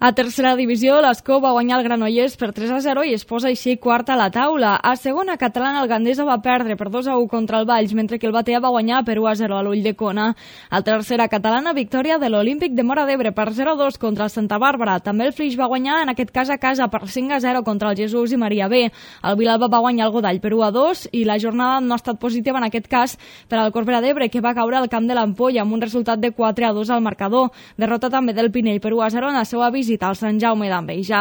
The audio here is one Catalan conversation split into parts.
A tercera divisió, l'Escó va guanyar el Granollers per 3-0 i es posa així quarta a la taula. A segona catalana, el Gandesa va perdre per 2-1 contra el Valls, mentre que el Batea va guanyar per 1-0 a l'Ulldecona. A tercera catalana, victòria de l'Olímpic de Móra d'Ebre per 0-2 contra el Santa Bàrbara. També el Flix va guanyar, en aquest cas a casa, per 5-0 contra el Jesús i Maria B. El Vilalba va guanyar el Godall per 1-2 i la jornada no ha estat positiva en aquest cas per al Corbera d'Ebre, que va caure al camp de l'Ampolla amb un resultat de 4-2 al marcador. Derrota també del Pinell per 1-0 en la seva visita al Sant Jaume d'Enveja.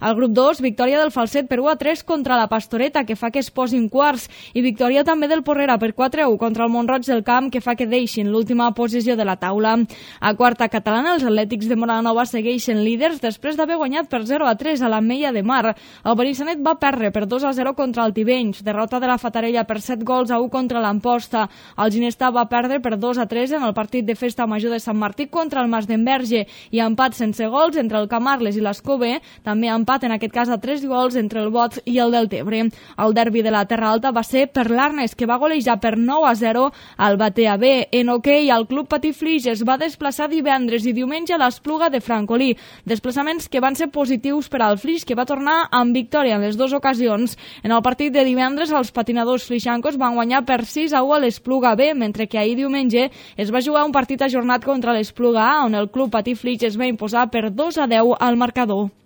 Al grup 2, victòria del Falset per 1-3 contra la Pastoreta, que fa que es posin quarts, i victòria també del Porrera per 4-1 contra el Mont-roig del Camp, que fa que deixin l'última posició de la taula. A quarta catalana, els Atlètics de Moranova segueixen líders després d'haver guanyat per 0-3 a l'Ametlla de Mar. El Benissanet va perdre per 2-0 contra el Tivenys, derrota de la Fatarella per 7-1 contra l'Amposta. El Ginestà va perdre per 2-3 en el partit de festa major de Sant Martí contra el Mas d'Enverge, i empat sense gols entre el Camarles i l'Escó B, també empat en aquest cas a 3 gols entre el Bots i el Deltebre. El derbi de la Terra Alta va ser per l'Arnes, que va golejar per 9-0 al Batea B. En hoquei, el Club Patí Flix es va desplaçar divendres i diumenge a l'Espluga de Francolí, desplaçaments que van ser positius per al Flix, que va tornar amb victòria en les dues ocasions. En el partit de divendres, els patinadors flixancos van guanyar per 6-1 a l'Espluga B, mentre que ahir diumenge es va jugar un partit ajornat contra l'Espluga A, on el Club Patí Flix es va imposar per 2-10 al marcador.